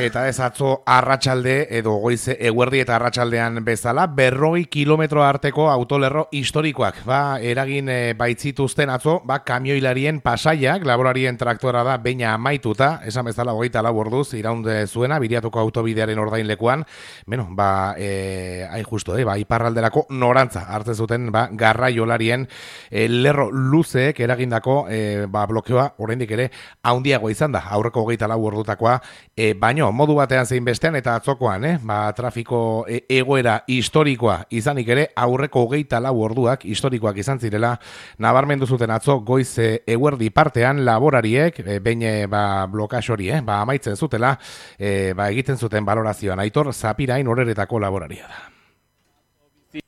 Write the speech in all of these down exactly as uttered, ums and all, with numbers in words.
eta ez atzo arratsalde edo goize eguerdi eta arratsaldean bezala berrogei kilometro arteko autolerro historikoak ba eragin e, baitzituzten atzo ba kamioilarien pasaiak laborarien traktora da beina amaituta esan bezala hogeita lau orduz iraunde zuena Biriatuko autobidearen ordainlekuan beno ba e, hain justo eh, ba iparralderako norantza hartzen zuten ba garraiolarien e, lerro luzeek eragindako e, ba blokeoa oraindik ere handiago izan da aurreko hogeita lau ordutakoa e, baino modu batean zein bestean eta atzokoan, eh? ba, trafiko e, egoera historikoa izanik ere aurreko hogeita lau orduak historikoak izan zirela nabarmendu zuten atzo goiz e, eguerdi partean laborariek e, behin ba, blokas hori, eh? ba, amaitzen zutela e, ba, egiten zuten balorazioan Aitor Zapirain horeretako laboraria da.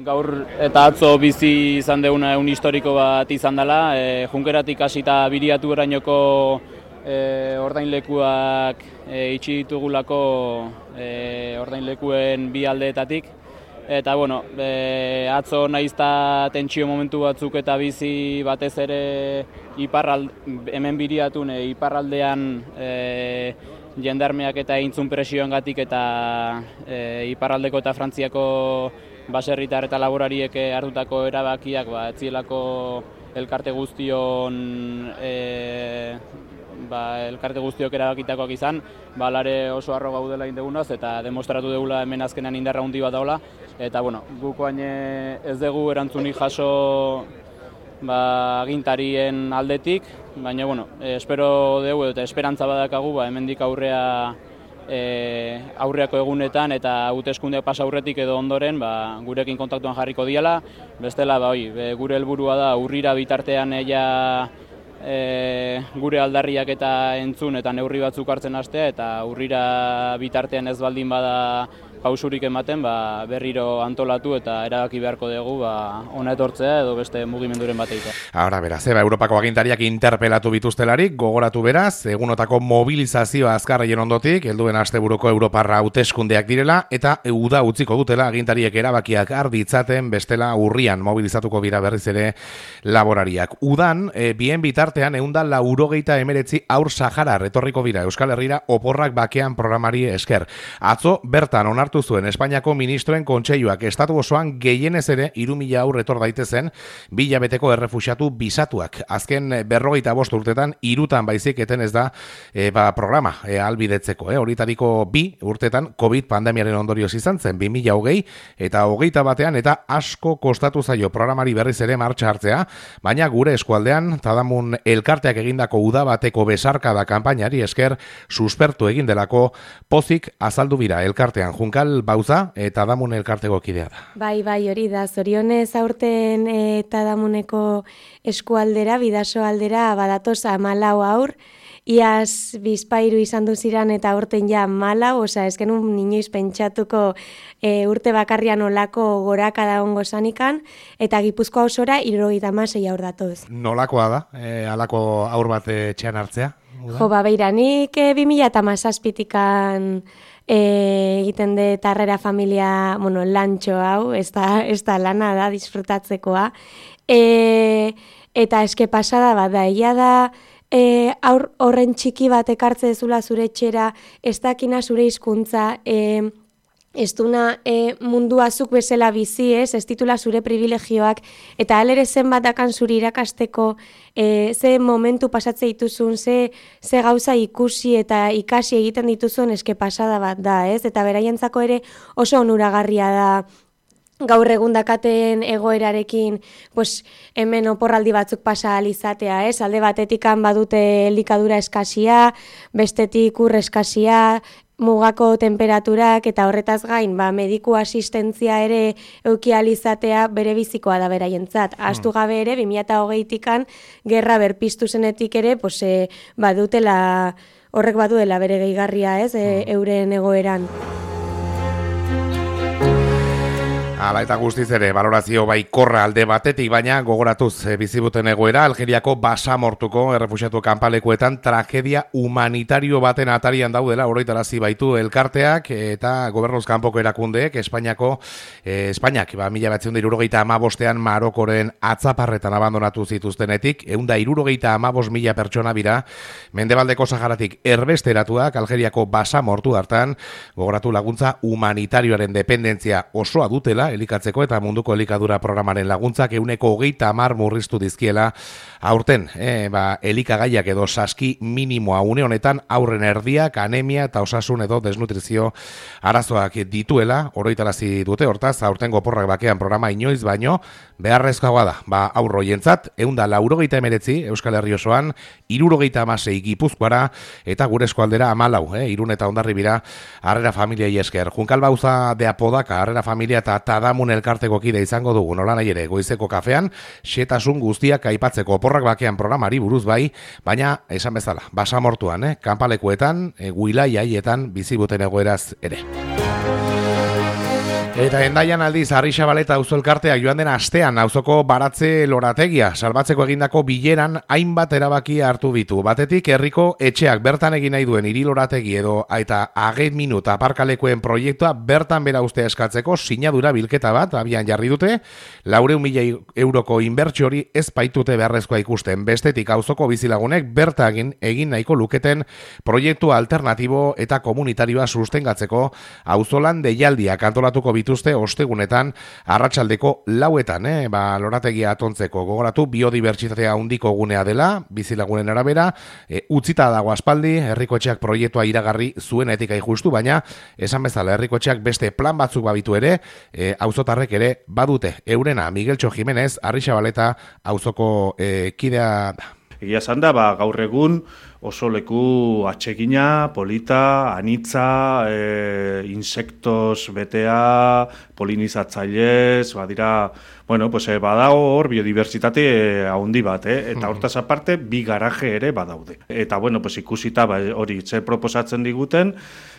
Gaur eta atzo bizi izan deuna egun historiko bat izan dela, e, Junkeratik hasita Biriatu erainoko E, ordainlekuak e, itxi ditugulako e, ordainlekuen bi aldeetatik eta bueno, e, atzo naizta tentsio momentu batzuk eta bizi batez ere iparrald, hemen Biriatun e, iparraldean e, jendarmeak eta eintzun presioengatik eta e, iparraldeko eta Frantziako baserritar eta laborariek hartutako erabakiak ba ez zielako elkarte guztion e, ba, elkarte guztiok erabakitakoak izan, ba, lare oso harro gaudela indegunaz eta demostratu degula hemen azkenean indarra handi bat daula. Eta, bueno, gukoain ez dugu erantzunik jaso ba, agintarien aldetik, baina, bueno, espero dugu eta esperantza badakagu, ba, hemendik aurrea e, aurreako egunetan eta hauteskundeak pasa aurretik edo ondoren ba, gurekin kontaktuan jarriko diala. Bestela, ba, oi, gure helburua da urrira bitartean ella E, gure aldarriak eta entzun eta neurri batzuk hartzen hastea eta urrira bitartean ez baldin bada pausurik ematen ba, berriro antolatu eta erabaki beharko dugu ba, ona etortzea edo beste mugimenduren bat egitea. Ahora beraz, eba, Europako agintariak interpelatu bituztelarik, gogoratu beraz, egunotako mobilizazioa azkarreien ondotik, helduen asteburuko Europarra hauteskundeak direla, eta uda utziko dutela agintariek erabakiak arditzaten bestela urrian mobilizatuko bira berriz ere laborariak. Udan, e, bien bitartean eunda laurogeita emeretzi aur Sahara retorriko bira Euskal Herrira oporrak bakean programari esker. Atzo bertan onartu zuen Espainiako ministroen kontseiluak estatu osoan gehienez ere hiru mila aur etor daitezen bi hilabeteko errefuxiatu bisatuak. Azken berrogeita bost urtetan hirutan baizik eten ez da e, ba, programa e, albidetzeko. E, horitariko bi urtetan COVID pandemiaren ondorioz izan zen bi mila hogei eta hogeita batean eta asko kostatu zaio programari berriz ere martxa hartzea, baina gure eskualdean Tadamun elkarteak egindako uda bateko besarkada kanpainari esker suspertu egin delako pozik azaldu bira elkartean Junkal Bauza eta Tadamun elkarteko kidea da. Bai, bai, hori da. Zorionez aurten e, Tadamuneko eskualdera, Bidaso aldera badatoz hamalau aur, iaz Bizpairu izan duziran eta aurten ja hamalau, osea, ez genuen inoiz pentsatuko e, urte bakarrian olako gorakada ongo zanikan, eta Gipuzkoa osora hirurogeita hamasei aur datoz. Nolakoa da, e, alako aur bat etxean hartzea? Jo, ba, beira, nik e, bi mila hamazazpitikan E, egiten de tarrera familia, bueno, lantxo hau, ez da, ez da lana da, disfrutatzekoa. E, eta eske pasada bat da, ia da, e, aur, horren txiki bat ekartze dezula zure etxera, ez dakina zure hizkuntza, e, ez duna e, mundua zuk bezala bizi, ez, ez titula zure privilegioak, eta alere zenbatakan zure irakasteko, e, ze momentu pasatze dituzun, ze, ze gauza ikusi eta ikasi egiten dituzun eske pasada bat da, ez, eta beraientzako ere oso onuragarria da, gaur egun dakaten egoerarekin, pues, hemen oporraldi batzuk pasa alizatea, ez? Alde batetikan badute elikadura eskasia, bestetik ur eskasia, mugako temperaturak eta horretaz gain, ba, mediku asistentzia ere euki alizatea bere bizikoa da beraientzat. Ahaztu gabe ere, bi mila hogeitikan gerra berpiztu zenetik ere, pues, e, badutela, horrek baduela bere gehigarria, ez, e, euren egoeran. Hala eta guztiz ere, balorazio bai korra alde batetik, baina gogoratuz e, bizibuten egoera, Algeriako basamortuko errefuxiatu kanpalekuetan tragedia humanitario baten atarian daudela, oroitarazi baitu elkarteak eta gobernuz kanpoko erakundeek, Espainiako, e, Espainiak, ba, mila batzion da irurogeita amabostean Marokoren atzaparretan abandonatu zituztenetik, eunda irurogeita amabos mila pertsona bira, Mendebaldeko Saharatik erbesteratuak Algeriako basamortu hartan, gogoratu laguntza humanitarioaren dependentzia osoa dutela, elikatzeko eta munduko elikadura programaren laguntzak euneko hogeita hamar murriztu dizkiela aurten, e, ba, elikagaiak edo saski minimoa une honetan aurren erdiak, anemia eta osasun edo desnutrizio arazoak dituela, oroitarazi dute hortaz, aurten goporrak bakean programa inoiz baino, beharrezkoa da, ba, aurroientzat, eunda laurogeita emeretzi Euskal Herri osoan, irurogeita amasei Gipuzkoara, eta gure eskualdera amalau, eh, Irun eta Hondarribira, Harrera Familiai esker. Junkal Bauza de Apodaka, Harrera Familia eta Tadamun elkarteko kide izango dugu, nola nahi ere, goizeko kafean, xetasun guztiak aipatzeko oporrak bakean programari buruz bai, baina, esan bezala, basamortuan, eh, kanpalekuetan, e, guilai haietan, bizibuten egoeraz ere. Eta endaian aldiz, Arrixabaleta auzo elkarteak joan den astean auzoko baratze lorategia salbatzeko egindako bileran hainbat erabaki hartu ditu. Batetik, herriko etxeak bertan egin nahi duen hiri lorategi edo eta ageit minut aparkalekuen proiektua bertan bera ustea eskatzeko sinadura bilketa bat abian jarri dute, laurehun mila euroko inbertsio hori ez baitute beharrezkoa ikusten. Bestetik, auzoko bizilagunek bertagin egin nahiko luketen proiektu alternatibo eta komunitarioa sustengatzeko auzolan deialdiak antolatuko bituzte ostegunetan arratsaldeko lauetan, eh? Ba, lorategia atontzeko gogoratu biodibertsitatea handiko gunea dela, bizilagunen arabera, e, utzita dago aspaldi, herriko etxeak proiektua iragarri zuenetik justu, baina esan bezala herriko etxeak beste plan batzuk babitu ere, e, auzotarrek ere badute. Eurena, Migueltxo Jimenez, Arrixabaleta auzoko e, kidea da. Egia esan da, ba, gaur egun oso leku atsegina, polita, anitza, e, insektos betea, polinizatzailez, badira, bueno, pues, e, badago hor biodibertsitate e, haundi bat, eh? Eta hortaz aparte, bi garaje ere badaude. Eta, bueno, pues, ikusita ba, hori ze proposatzen diguten,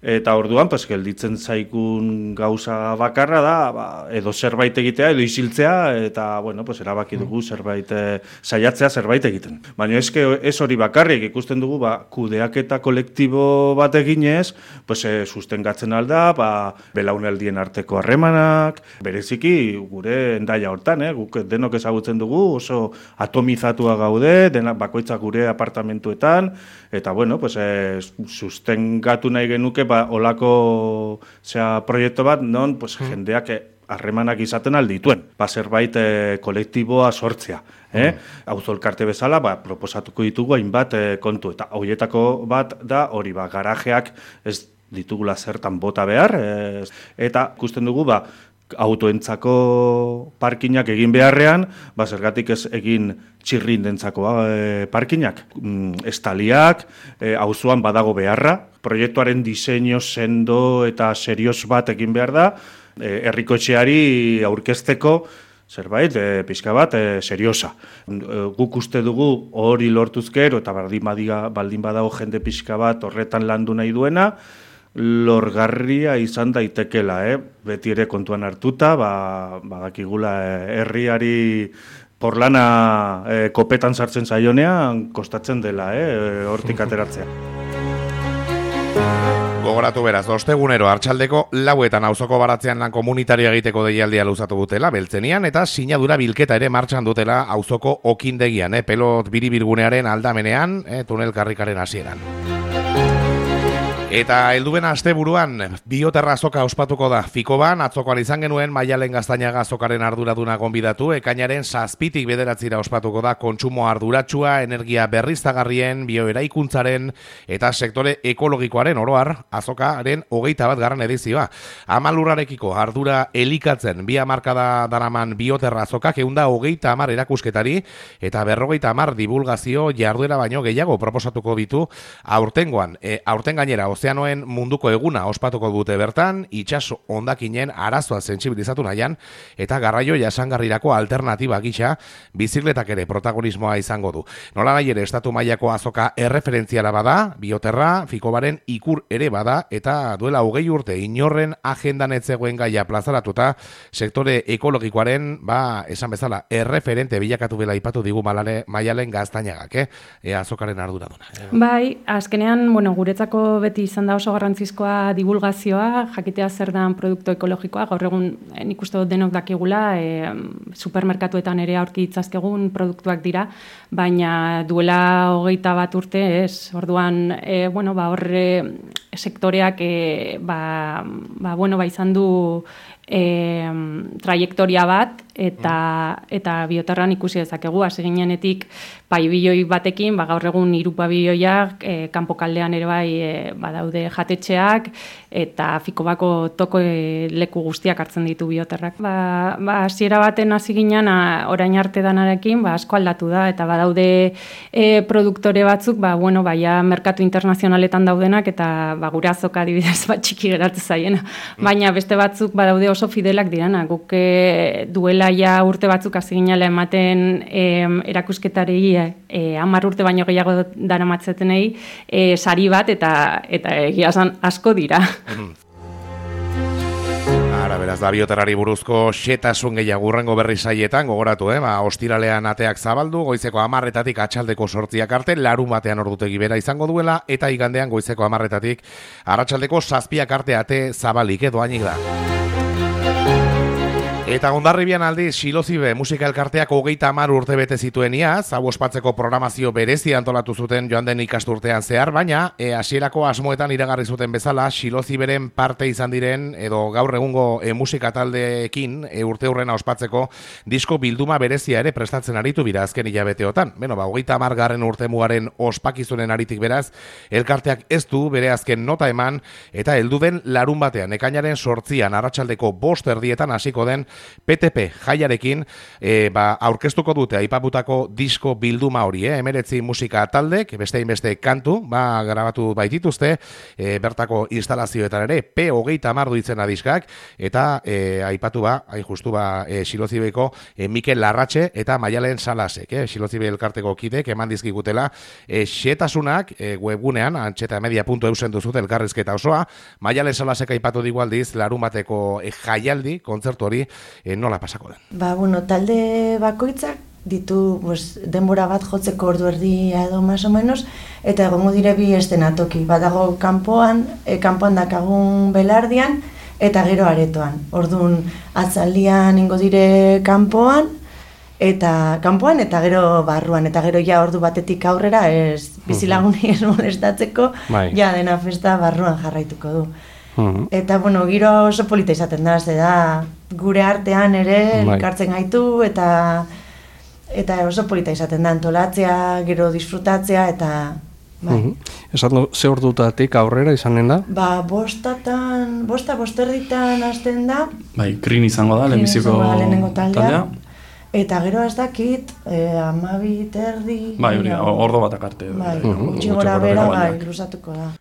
eta orduan, pues, gelditzen zaikun gauza bakarra da, ba, edo zerbait egitea, edo isiltzea, eta, bueno, pues, erabaki dugu zerbait e, saiatzea zerbait egiten. Baina eske ez hori bakarrik ikusten dugu, ba, kudeaketa kolektibo bat eginez, pues, e, sustengatzen alda, ba, belaunaldien arteko harremanak, bereziki gure endaia hortan, eh? Guk denok ezagutzen dugu, oso atomizatua gaude, denak bakoitzak gure apartamentuetan, eta bueno, pues, e, sustengatu nahi genuke, ba, olako zera, proiektu bat, non pues, mm. jendeak harremanak izaten aldituen, ba, zerbait e, kolektiboa sortzea. Eh? Mm. Auzo elkarte bezala, ba, proposatuko ditugu hainbat e, kontu, eta horietako bat da, hori ba, garajeak ez ditugula zertan bota behar, e, eta ikusten dugu, ba, autoentzako parkinak egin beharrean, ba, zergatik ez egin txirrindentzako e, parkinak. Mm, estaliak, e, auzoan badago beharra, proiektuaren diseinu sendo eta serioz bat egin behar da, e, herriko etxeari aurkezteko zerbait, e, pixka bat, e, seriosa. E, guk uste dugu hori lortuzkero eta baldin, badiga, baldin badago jende pixka bat horretan landu nahi duena, lorgarria izan daitekela, eh? Beti ere kontuan hartuta, ba, badakigula eh, herriari porlana eh, kopetan sartzen zaionean kostatzen dela, eh, hortik ateratzea. Gogoratu beraz, ostegunero hartxaldeko lauetan auzoko baratzean lan komunitario egiteko deialdia luzatu dutela, beltzenian, eta sinadura bilketa ere martxan dutela auzoko okindegian, eh, pelot biribirgunearen aldamenean, eh, tunel karrikaren hasieran. Eta helduben asteburuan bioterra azoka ospatuko da. Fikoban atzokoan izan genuen Maialen Gaztañaga azokaren arduraduna gonbidatu, ekainaren zazpitik bederatzira ospatuko da kontsumo arduratsua, energia berriztagarrien, bioeraikuntzaren eta sektore ekologikoaren oroar azokaren hogeita bat garran edizioa. Amalurrarekiko ardura elikatzen bi hamarkada daraman bioterra azokak eunda hogeita hamar erakusketari eta berrogeita hamar divulgazio jarduera baino gehiago proposatuko ditu aurtengoan. E, aurten gainera, ozeanoen munduko eguna ospatuko dute bertan, itsaso hondakinen arazoa sentsibilizatu nahian, eta garraio jasangarrirako alternatiba gisa bizikletak ere protagonismoa izango du. Nola nahi ere estatu mailako azoka erreferentziala bada, Bioterra, Fikobaren ikur ere bada, eta duela hogei urte inorren agendan etzegoen gaia plazaratuta, sektore ekologikoaren, ba, esan bezala, erreferente bilakatu bela ipatu digu malale, Maialen Gaztainagak, eh? E, azokaren arduraduna. Eh? Bai, azkenean, bueno, guretzako beti izan da oso garrantzizkoa divulgazioa, jakitea zer dan produktu ekologikoa, gaur egun nik uste dut denok dakigula, e, supermerkatuetan ere aurki itzazkegun produktuak dira, baina duela hogeita bat urte, ez, orduan, e, bueno, ba, horre sektoreak, e, ba, ba, bueno, ba, izan du e, trajektoria bat, eta eta Bioterran ikusi dezakegu hasi ginenetik paibiloi batekin, ba gaur egun hiru paibiloiak e, kanpokaldean ere bai e, badaude jatetxeak eta Fikobako toko e, leku guztiak hartzen ditu Bioterrak. Ba ba hasiera baten hasi ginean orain arte danarekin, ba asko aldatu da eta badaude e, produktore batzuk, ba bueno, baia merkatu internazionaletan daudenak eta ba gure azoka adibidez bat txiki geratzen zaiena. Baina beste batzuk badaude oso fidelak dirana, guk e, duela ja urte batzuk hasi ginela ematen e, erakusketari e, hamar urte baino gehiago daramatzetenei e, sari bat eta eta egia esan asko dira. Ara, beraz, da Bioterrari buruzko xetasun gehiago hurrengo berri saietan, gogoratu, eh? Ba, ostiralean ateak zabaldu, goizeko hamarretatik atxaldeko sortziak arte, larun batean ordutegi bera izango duela, eta igandean goizeko hamarretatik arratsaldeko zazpiak arte ate zabalik edo hainik da. Eta Hondarribian aldiz, Xilozibe musika elkarteak hogeita hamar urte bete zituen iaz, hau ospatzeko programazio berezi antolatu zuten joan den ikasturtean zehar, baina e, hasierako asmoetan iragarri zuten bezala, Xiloziberen parte izan diren, edo gaur egungo e, musika taldeekin e, urte hurrena ospatzeko disko bilduma berezia ere prestatzen aritu bira azken hilabeteotan. Beno, ba, hogeita hamar garren urte mugaren ospakizunen aritik beraz, elkarteak ez du bere azken nota eman, eta heldu den larun batean, ekainaren sortzian, arratsaldeko bost erdietan hasiko den P T P jaiarekin e, ba, aurkeztuko dute aipaputako disko bilduma hori, eh? Emeretzi musika taldek, beste beste kantu, ba, grabatu baitituzte, e, bertako instalazioetan ere, P hogeita hamar duitzen diskak, eta e, aipatu ba, hain justu ba, e, Xilozibeko e, Mikel Larratxe eta Maialen Salasek, eh? Xilozibe elkarteko kidek eman dizkigutela, e, xetasunak e, webgunean, antxetamedia puntu e u zen duzut elkarrizketa osoa, Maialen Salasek aipatu digu aldiz, larun bateko e, jaialdi, kontzertu hori, E, nola pasako den? Ba, bueno, talde bakoitzak ditu pues, denbora bat jotzeko ordu erdia edo más o menos, eta egongo dire bi estenatoki. Badago kanpoan, e, kanpoan dakagun belardian, eta gero aretoan. Orduan, atzaldian ingo dire kanpoan, eta kanpoan, eta gero barruan, eta gero ja ordu batetik aurrera, ez bizilaguni ez molestatzeko, bai. Ja dena festa barruan jarraituko du. Uh-huh. Eta, bueno, giro oso polita izaten da, ze da, gure artean ere elkartzen gaitu, eta eta oso polita izaten da, antolatzea, gero disfrutatzea, eta... Bai. Uh-huh. Esan ze ordutatik aurrera izanen da? Ba, bostatan, bosta, bosterritan hasten da. Bai, Krin izango da, lehenbiziko lehenengo taldea. Eta gero ez dakit, eh, amabi, terdi... Bai, hori, ordo batak arte. Bai, txigora bera, bai, luzatuko da.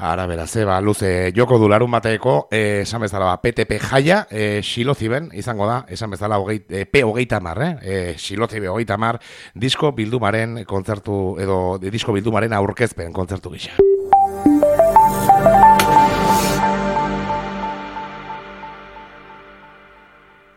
Ara, beraz, eba, luze, joko du larun bateko, eh, esan bezala, ba, P T P jaia, eh, Xiloziben, izango da, esan bezala, hogeit, eh, P hogeita hamar, eh, eh, Xilozibe hogeita hamar, disko bildumaren kontzertu, edo disko bildumaren aurkezpen kontzertu gisa.